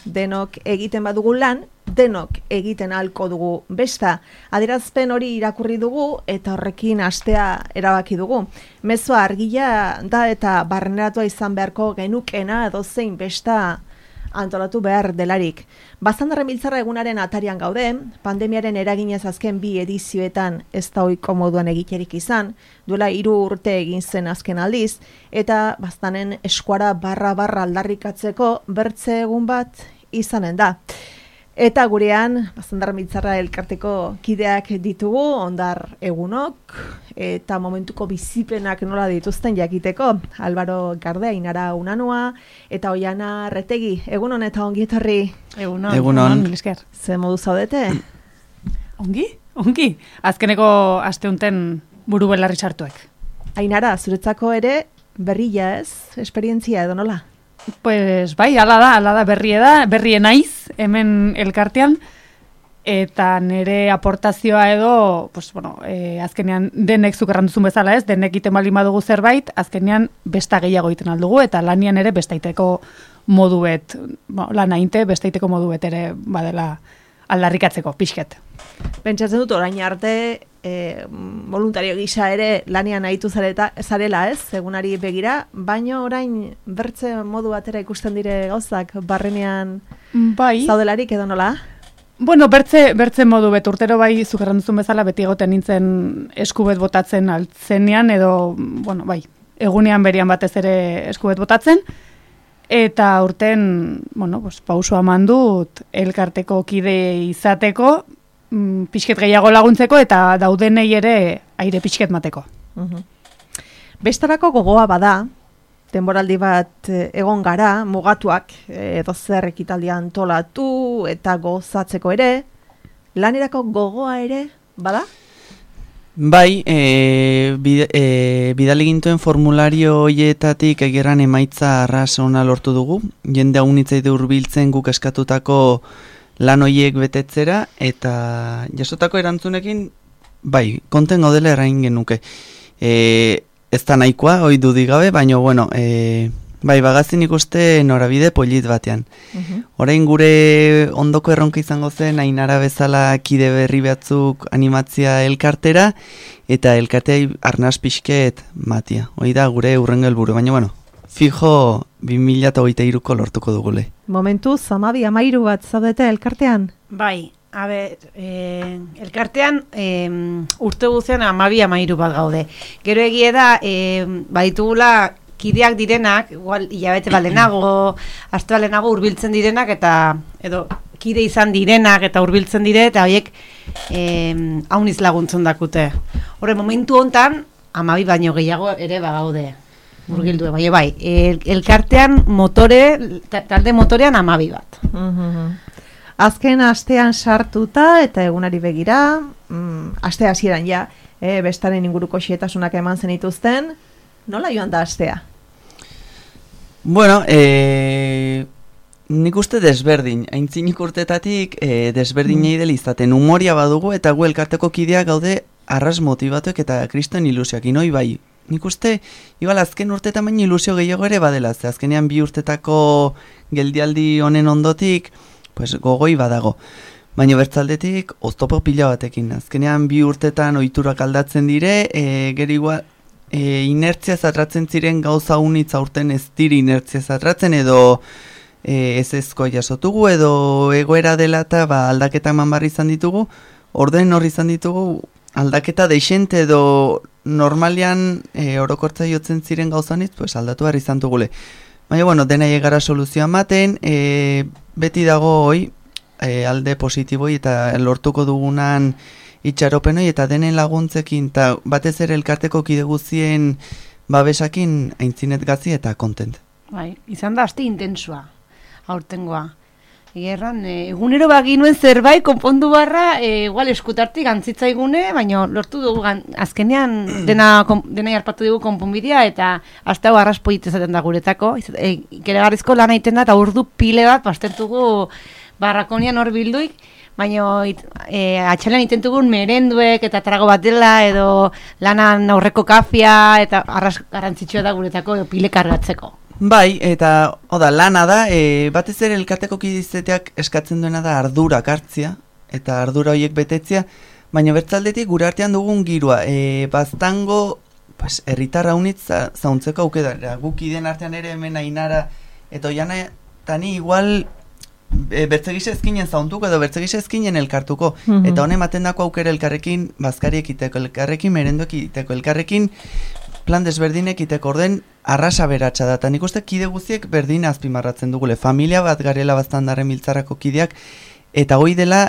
denok egiten badugu lan, denok egiten ahalko dugu besta. Adierazpen hori irakurri dugu eta horrekin hastea erabaki dugu. Mezua argia da eta barneratua izan beharko genukena edozein besta antolatu behar delarik. Baztandarren biltzarra egunaren atarian gaude, pandemiaren eraginez azken 2 edizioetan ez da ohiko moduan egiterik izan, duela 3 urte egin zen azken aldiz, eta baztanen eskuara barra aldarrikatzeko bertze egun bat izanen da. Eta gurean, Baztandarren biltzarra elkarteko kideak ditugu, ondar egunok, eta momentuko bizipenak nola dituzten jakiteko. Álvaro Gardea, Ainara Unanua, eta Oiana Retegi. Egunon eta ongi etorri. Egunon. Esker. Ze modu zaudete? Ongi. Azkeneko asteunten buru belarri sartuek. Ainara, zuretzako ere berria ez? Esperientzia edo nola? Pues bai, ala da berrie naiz hemen elkartean, eta nire aportazioa edo, pues bueno, azkenean denek zuk erranduzun bezala ez, denek iten baldin badugu zerbait, azkenean besta gehiago egiten aldugu, eta lanian ere bestaiteko moduet, lanainte bestaiteko moduet ere badela aldarrikatzeko, pixket. Pentsatzen dut orain arte voluntario gisa ere lanian aritu zarela ez, egunari begira, baino orain bertze modu batera ikusten dire gauzak barrenean zaudelarik edo nola? Bueno, bertze modu bet urtero bai zuk erranduzun bezala beti egoten nintzen eskubet botatzen altzenean edo, bueno, bai, egunean berian batez ere eskubet botatzen, eta urten, bueno, pues, pausua eman dut elkarteko kide izateko, pixket gehiago laguntzeko eta daudenei ere aire pixket mateko. Bestarako gogoa bada, denboraldi bat egon gara, mugatuak edo zer ekitaldia antolatu eta gozatzeko ere, lanerako gogoa ere bada? Bai, bidali gintuen formulario hoietatik egeran emaitza arras ona lortu dugu, jende haunitzaide hurbiltzen guk eskatutako lan hoiek betetzera, eta jasotako erantzunekin, bai, konten gaudela errain genuke. Ez da nahikoa, hoi dudigabe, baina, bueno, bai, bagazin ikuste norabide polit batean. Orain gure ondoko erronka izango zen, Ainara bezala kide berri batzuk animatzia elkartera, eta elkartea arnaz pixket matia. Hoi da gure urrengo helburu, baina, bueno, fijo 2023ko lortuko dugule. Momentu, 12-13 bat zaudete elkartean? Bai, elkartean urte guzian 12-13 bat gaude. Gero egie da, baditugula kideak direnak, igual hilabete balenago, aste balenago hurbiltzen direnak, eta edo kide izan direnak eta hurbiltzen dire, eta horiek hauniz laguntzen dakute. Horre, momentu hontan 12 baino gehiago ere bagaude. Murgildu, bai, elkartean talde motorean 12 bat. Azken astean sartuta eta egunari begira, aste hasieran ja, bestaren inguruko xehetasunak eman zenituzten, nola joan da astea? Bueno, nik uste desberdin, aintzinik urtetatik desberdinei dela izaten, humoria badugu eta gu elkarteko kideak gaude arras motibatuek eta kriston ilusioak, inoi bai. Nik uste, igual azken urtetan baina ilusio gehiago ere badela, ze azkenean 2 urtetako geldialdi honen ondotik, pues gogoi badago. Baina bertzaldetik, oztopo pila batekin. Azkenean 2 urtetan ohiturak aldatzen dire, gero igual inertzia zatratzen ziren gauza unitz aurten ez diri inertzia zatratzen, edo ezezko jasotugu, edo egoera dela eta aldaketa eman barri izan ditugu, orden horri izan ditugu, aldaketa deixente edo normalian orokortza jotzen ziren gauzanitz, pues aldatu behar izan dugule. Baina, bueno, dena egara soluzioa ematen, beti dago hoi, alde positiboi eta lortuko dugunan itxaropenoi eta denen laguntzekin, eta batez ere elkarteko kide guztien babesakin aintzinet gazi eta kontent. Bai, izan da aste intensua, aurtengoa. Gerran, egunero baginuen zerbait konpondu barra, igual eskutartik antzitzaigune, baina lortu dugu azkenean dena harpatu dugu konponbidea, eta hasta hau arraspoit ezaten da guretako. Ikeregarrizko lan egiten da, eta urdu pile bat pastertugu barrakonian hor bilduik, baina atxalean intentugun merenduek eta trago bat dela, edo lanan aurreko kafia, eta arras garantzitsua da guretako pile kargatzeko. Bai, eta lana da, batez ere elkarteko kidizeteak eskatzen duena da ardurak hartzia, eta ardura horiek betetzia, baina bertzaldetik gure artean dugun girua, baztango, herritarra unitz zauntzeko aukera, guk ideen artean ere hemen Ainara, eta Oiana, tani igual bertzegisa ezkinen zauntuko edo bertzegisa ezkinen elkartuko, eta honen ematen dako aukera elkarrekin bazkariek iteko, elkarrekin merendoek iteko, elkarrekin plan desberdinek iteko, orden arrasa beratxa da, eta nik uste kide guztiek berdin azpimarratzen dugule, familia bat garela Baztandarren Biltzarrako kideak, eta hoi dela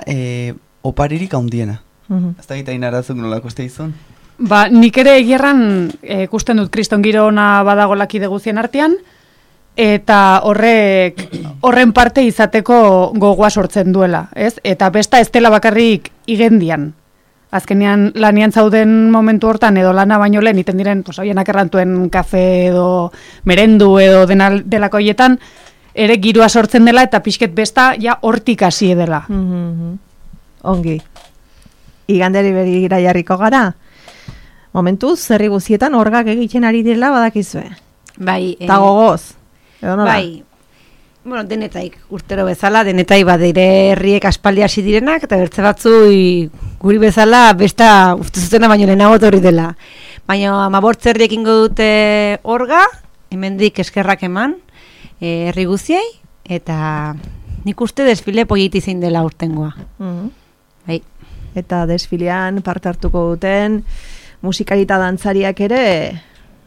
oparirik handiena. Ez da gita inarazuk nolako uste izun? Ba, nik ere egierran ikusten dut kriston giro ona badagola kide guztien artean, eta horren parte izateko gogoa sortzen duela, ez? Eta besta ez dela bakarrik igendian. Azkenean lanian zauden momentu hortan edo lana baino lehen iten diren, hoienak errantuen kafe edo merendu edo delako hoietan, ere giroa sortzen dela eta pixket besta ja hortik hasi dela. Ongi. Iganderi begira jarriko gara. Momentuz, zerri guztietan orgak egiten ari direla badakizue. Bai. Eta gogoz. Bai. Bueno, denetaik urtero bezala, denetai badire herriek aspaldi hasi direnak, eta bertze batzu guri bezala besta uste zutena baino lehenago etorri dela. Baina 15 herriek ingo dute orga, hemendik eskerrak eman, herri guztiei, eta nik uste desfile politi zein dela urtengoa. Bai. Eta desfilean parte hartuko duten musikari eta dantzariak ere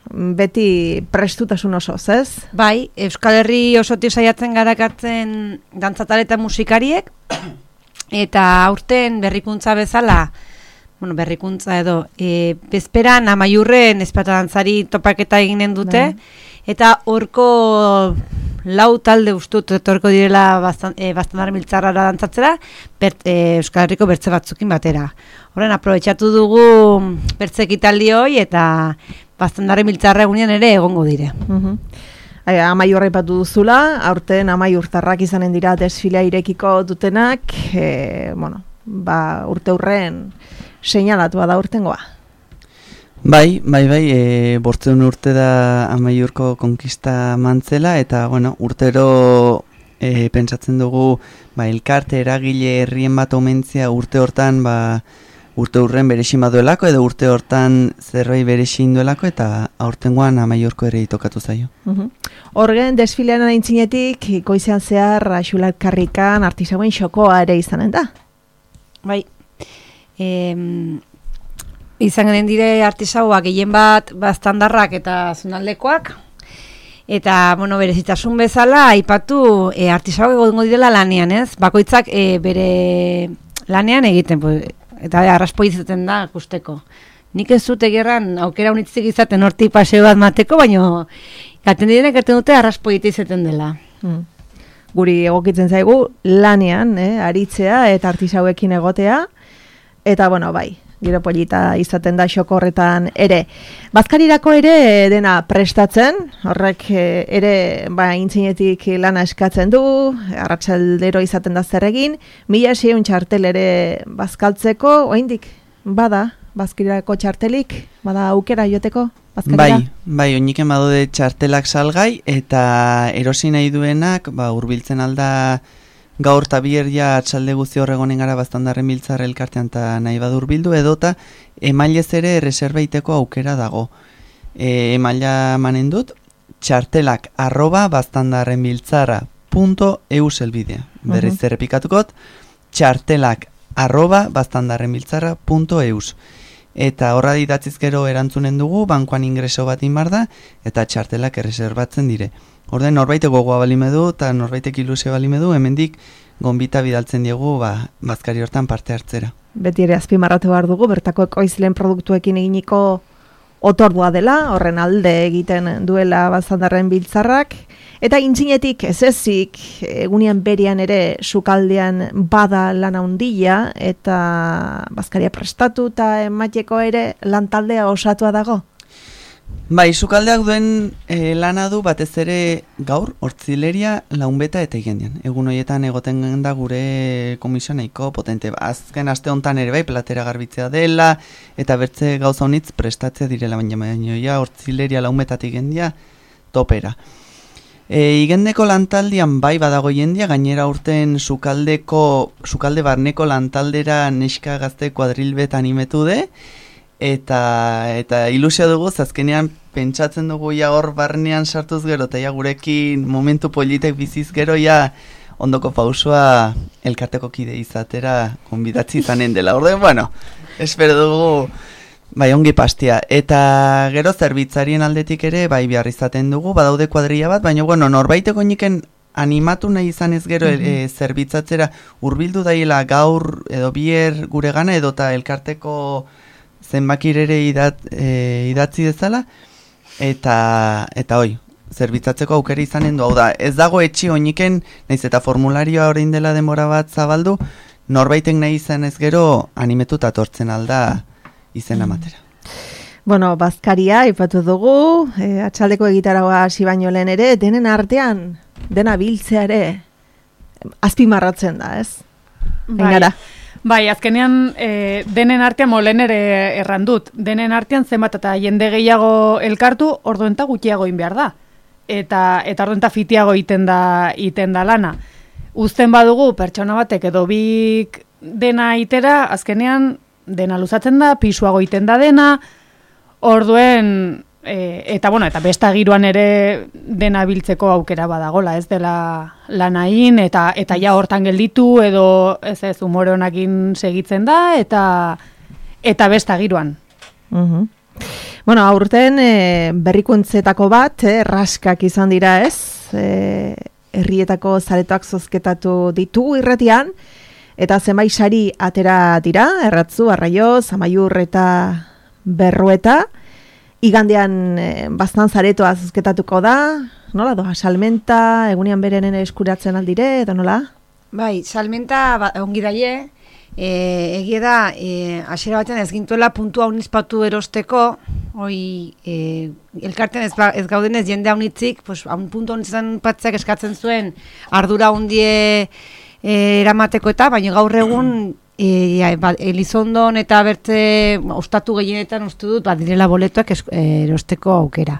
beti prestutasun osoz, ez? Bai, Euskal Herri osotik saiatzen garakartzen dantzatare eta musikariek, eta aurten berrikuntza bezala, berrikuntza edo, bezperan Amaiurren ezpata dantzari topaketa eginen dute, eta horko lau talde ustut etorko direla Baztandarren Biltzarrara dantzatzera, Euskal Herriko bertze batzukin batera. Horren, aprobetxatu dugu bertze ekitaldi hoi eta Baztandarren Biltzarra egunean ere egongo dire. Amaiurra ipatu duzula, aurten amaiurtarrak izanen dira desfilea irekiko dutenak, urte hurren seinalatua da urtengoa. Bai, 500 urte da Amaiurko konkista mantzela, eta urtero pentsatzen dugu elkarte eragile herrien bat omentzia urte hortan urte hurren berexin baduelako edo urte hortan zerbait berexin duelako, eta aurtengoan Amaiurko ere itokatu zaio. Horgen desfilean aintzinetik goizean zehar Xularkarrikan artisauen xokoa ere izanen da? Bai. Izan genen dire artisauak gehien bat Baztandarrak eta zonaldekoak, eta berezitasun bezala aipatu artisauak egongo direla lanean, ez? Bakoitzak bere lanean egiten, eta arraspoi izaten da ikusteko. Nik ez dute gerran aukera unitzik izaten hortik paseo bat mateko, baina gaten direnek erten dute arraspoi izaten dela. Guri egokitzen zaigu lanean, aritzea eta artisauekin egotea, eta bai, giro polita izaten da xoko horretan ere. Bazkarirako ere dena prestatzen, horrek ere intzinetik lana eskatzen du, arratsaldero izaten da zer egin, 1600 txartel ere bazkaltzeko, oraindik bada Bazkarirako txartelik, bada aukera joteko Bazkarira? Bai, oiniken badaude txartelak salgai, eta erosi nahi duenak, hurbiltzen alda gaur eta bier ja atxalde guzti horregonen gara Baztandarren Biltzarra elkartean eta nahi badur bildu, edota emailez ere reserbaiteko aukera dago. Emaila manen dut, txartelak @baztandarrenbiltzarra.eu zelbidea. Berriz errepikatukot, txartelak @baztandarrenbiltzarra.eu. Eta horra idatziz gero erantzunen dugu, bankoan ingreso bat inbar da, eta txartelak erreserbatzen dire. Orden norbaitek gogoa balimedu eta norbaitek ilusio balimedu, hemendik gonbita bidaltzen diegu bazkari hortan parte hartzera. Beti ere azpimarratu behar dugu, bertako ekoizleen produktuekin eginiko otordua dela, horren alde egiten duela Baztandarren Biltzarrak, eta intzinetik ez ezik, egunean berian ere sukaldean bada lana handia, eta bazkaria prestatu eta emateko ere lantaldea osatua dago? Bai, sukaldeak duen lana du batez ere gaur, hortzileria, launbeta eta igendian. Egun horietan egoten da gure komisio nahiko potente. Azken aste hontan ere platera garbitzea dela, eta bertze gauza honitz prestatzea direla, baina hortzileria, launbeta eta igendia topera. Igendeko lantaldian bai badago jendia, gainera urten sukalde barneko lantaldera neska gazte kuadrilbet animetu de, eta ilusio dugu, azkenean pentsatzen dugu ja hor barnean sartuz gero, eta ja gurekin momentu politek biziz gero, ja ondoko pausua elkarteko kide izatera konbidatzi izanen dela. Orden, bueno, espero dugu bai ongi pastia. Eta gero zerbitzarien aldetik ere bai behar izaten dugu, badaude kuadrilla bat, baina bueno, norbaiteko niken animatu nahi izan ez gero zerbitzatzera hurbildu daiela gaur edo bier gure gana edota elkarteko zenbakir ere idatzi dezala, eta hoi, zerbitzatzeko aukera izanen du, hau da, ez dago etxi oiniken, nahiz eta formularioa orain dela demora bat zabaldu, norbaitek nahi izan ez gero animetuta tortzen alda izena matera. Bueno, bazkaria ipatu dugu, atxaldeko egitaragoa hasi baino lehen ere, denen artean, dena biltzea ere, azpimarratzen da, ez? Engara. Bai, azkenean denen artean molen ere errandut. Denen artean zenbat eta jende gehiago elkartu, orduenta gutxiago egin behar da. Eta orduenta fitiago iten da lana. Uzten badugu pertsona batek edo bik dena itera, azkenean dena luzatzen da, pisuago iten da dena, orduen eta bueno, eta besta giroan ere dena biltzeko aukera badagola, ez dela lanain, eta ja hortan gelditu, edo ez umore honakin segitzen da, eta besta giroan. Bueno, aurten berrikuntzetako bat, raskak izan dira, ez? Herrietako zaretoak zozketatu ditugu irratian, eta zenbait sari atera dira, Erratzu, Arraio, Zamaiur eta Berrueta. Igandean bastan zaretoa zozketatuko da, nola doa, salmenta, egunean berenen eskuratzen aldire, edo nola? Bai, salmenta ongi daie, egia da, hasiera batean ez gintuela puntua unizpatu erosteko, elkarten ez gaudenez jende haunitzik, pues, puntu unitzen patzeak eskatzen zuen ardura hundie eramateko eta, baina gaur egun Elizondon eta bertze ostatu gehienetan uste dut direla boletoak erosteko aukera.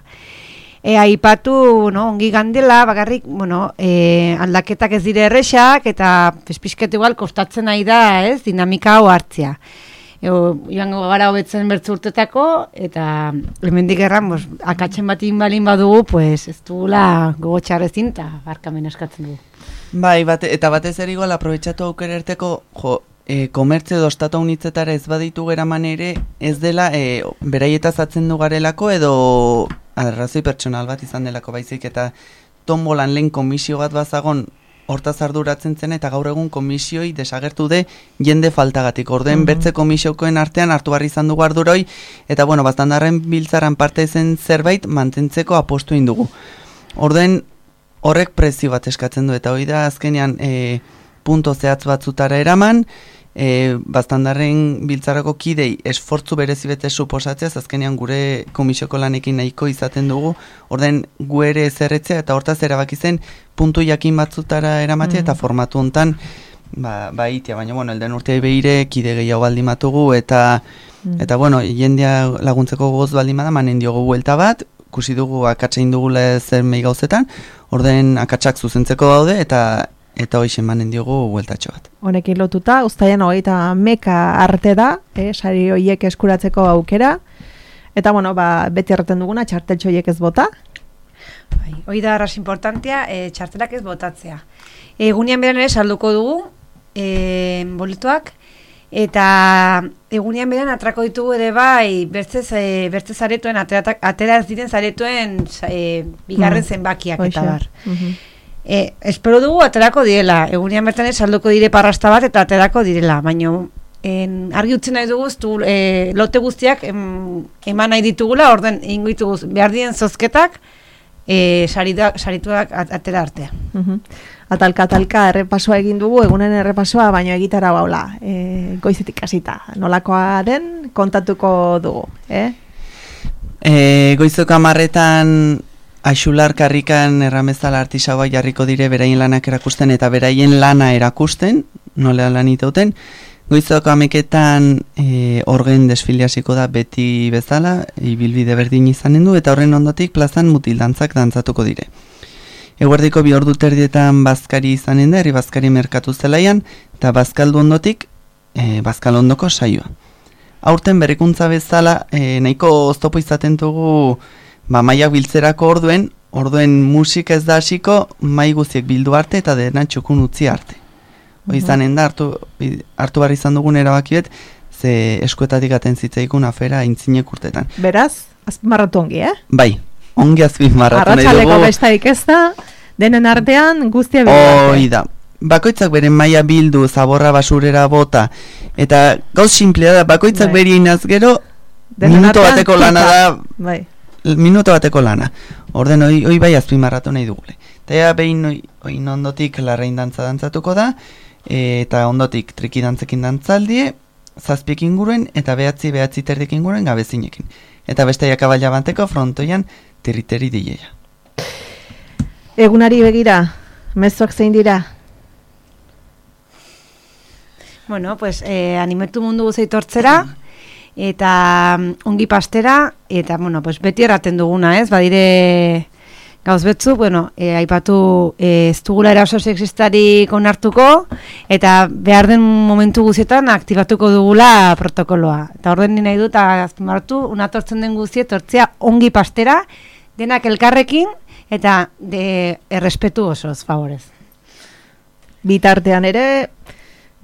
Aipatu ongi gandela, bakarrik aldaketak ez dire erresak eta pizpisket igual kostatzen nahi da, ez, dinamika hau hartzea. Joango gara hobetzen bertze urtetako, eta hemendik erran, akatzen batin balin badugu, pues ez dugula gogo txarrezin eta barkamen eskatzen dugu. Bai, eta batez ere igual aprobetxatu aukera erteko, komertzio edo ostatu unitzetara ez baditu geraman ere, ez dela beraietaz atzen du garelako edo arrazoi pertsonal bat izan delako baizik, eta tombolan lehen komisio bat bazagon hortaz arduratzen zen, eta gaur egun komisioi desagertu de jende faltagatik. Orden bertze komisiokoen artean hartu barri izan dugu arduroi, eta bueno, bastandarren biltzaran parte zen zerbait mantentzeko apostu indugu. Orden horrek prezio bat eskatzen du, eta hori da azkenean punto zehatz batzutara eraman, bastandarren biltzarako kidei esfortzu berezibete suposatzea, azkenean gure komisioko lanekin nahiko izaten dugu, orden gu ere ezerretzea, eta hortaz erabaki zen puntu jakin batzutara eramatea, eta formatu hontan itea, baina bueno, elden urtea behire kide gehiago baldimatugu, eta bueno, jendea laguntzeko goz baldimada, manen diogu buelta bat, kusi dugu akatsain dugula zer mei gauzetan, orden akatsak zuzentzeko daude, eta hoxe manen diogu bueltatxo bat. Honekin lotuta, uztaian hogeita meka arte da, sari horiek eskuratzeko aukera, eta bueno, beti erraten duguna, txarteltxo horiek ez bota. Hoi da arras importantea, txartelak ez botatzea. Egunean beran ere salduko dugu, boletoak, eta egunean beran atrako ditugu ere bai, bertze zaretoen, atera ez diren zaretoen bigarren zenbakiak eta bar. Espero dugu aterako direla, egunean bertan salduko dire parrasta bat eta aterako direla, baina argi utzi nahi dugu, lote guztiak eman nahi ditugula, orden ingo ditugu behar dien zozketak, sarituak atera artea. Atalka errepasoa egin dugu, egunen errepasoa, baina egitara baula, goizetik hasita, nolakoa den kontatuko dugu, Goizok 10:00 Axular karrikan erramezala artisaua jarriko dire beraien lanak erakusten eta beraien lana erakusten, nola lan itauten. Goizok 11:00 orgen desfiliasiko da beti bezala, ibilbide berdin izanen du, eta horren ondotik plazan mutildantzak dantzatuko dire. Eguerdiko 2:30 bazkari izanen da, herri bazkari merkatu zelaian, eta bazkaldu ondotik, bazkalondoko saioa. Aurten berrikuntza bezala, nahiko oztopo izaten dugu maiak biltzerako orduen musika ez da hasiko, mai guziek bildu arte eta dena txukun utzi arte. Izanen da, hartu behar izan dugun erabakiet, ze eskuetatik aten zitzaikun afera aintzinek urtetan. Beraz, azpimarratu ongi, Bai, ongi azpimarratu nahi dugu. Arratsaleko bestaik ez da, denen artean guztia bildu. Hoi da. Bakoitzak beren maila bildu, zaborra basurera bota, eta gauz simplea da, bakoitzak beri inaz gero, minuto bateko lana da, minuto bateko lana. Orden hoi bai azpimarratu nahi dugule. Eta behin oin ondotik larrain dantza dantzatuko da, eta ondotik triki dantzekin dantzaldie, 7 inguruen, eta 9 terdik inguruen gabezinekin. Eta beste jakabaila banteko frontoian territeri dileia. Egunari begira, mezuak zein dira? Bueno, pues animatu mundu guzeitortzera, eta ongi pastera, eta bueno, pues beti erraten duguna, ez? Badire gauz betzu, bueno, aipatu ez dugula eraso sexistarik onartuko, eta behar den momentu guzietan aktibatuko dugula protokoloa. Eta orden nahi dut, azpimarratu, unatortzen den guzie, tortzea ongi pastera, denak elkarrekin, eta errespetu osoz, favorez. Bitartean ere,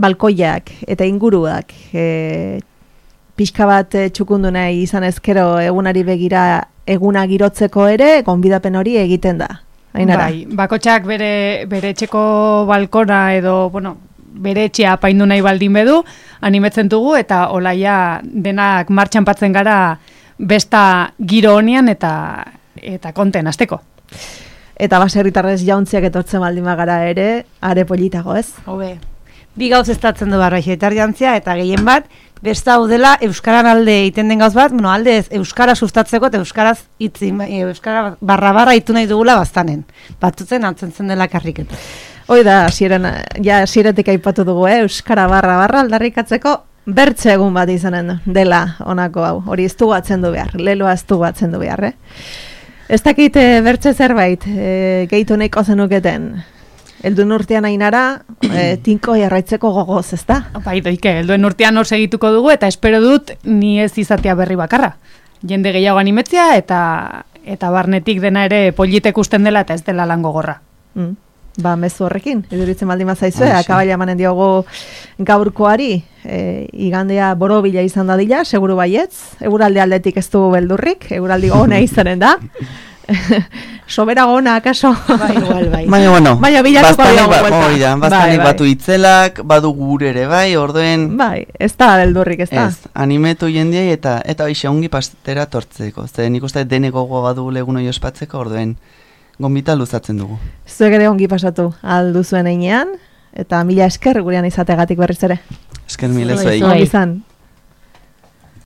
balkoiak eta inguruak pixka bat txukundu nahi izan ezkero egunari begira eguna girotzeko ere, gonbidapen hori egiten da. Ainara. Bai, bakotxak bere etxeko balkona edo, bueno, bere etxea apaindu nahi baldin bedu, animetzen dugu eta olaia denak martxan patzen gara besta giro honian eta konten azteko. Eta baserritarrez jauntziak etortzen baldin bagara ere, are politago, ez? Hobe. Bi gauz estatzen du barraixetar jantzia, eta gehien bat, besta hau dela Euskaran alde egiten den gauz bat, bueno, alde ez, Euskara sustatzeko eta Euskaraz itzi, Euskara barra itu nahi dugula bastanen. Batutzen antzen zen dela karriketa. Hoi da, hasieretik aipatu dugu, Euskara barra aldarrikatzeko bertze egun bat izanen dela honako hau. Hori ez dugu atzen du behar, leloa ez dugu atzen du behar, Ez dakit bertze zerbait, gehitu nahiko zenuketen. Elduen urtean Ainara, tinko jarraitzeko gogoz, ez da? Bai, doike, elduen urtean hor segituko dugu, eta espero dut ni ez izatea berri bakarra. Jende gehiago animetzia, eta barnetik dena ere politek usten dela, eta ez dela lan gogorra. Ba, mezu horrekin, eduritzen baldin mazaizue, akabaila emanen diogu gaurkoari, igandea borobila izan dadila, seguru baietz, eguralde aldetik ez du beldurrik, eguraldi gona izanen da. Sobera gona, akaso? Bai, igual, bai. Baina, bueno, bastanik batu itzelak, badu gure ere, bai, orduen... Bai, ez da beldurrik, ez da? Ez, animetu jendiai eta hoxe ongi pastera tortzeko. Zer, nik uste dene gogoa badu legun hori ospatzeko, orduen gonbita luzatzen dugu. Zuek ere ongi pasatu alduzuen einean, eta mila esker gurean izategatik berriz ere. Esker mila zuei. Ongi izan.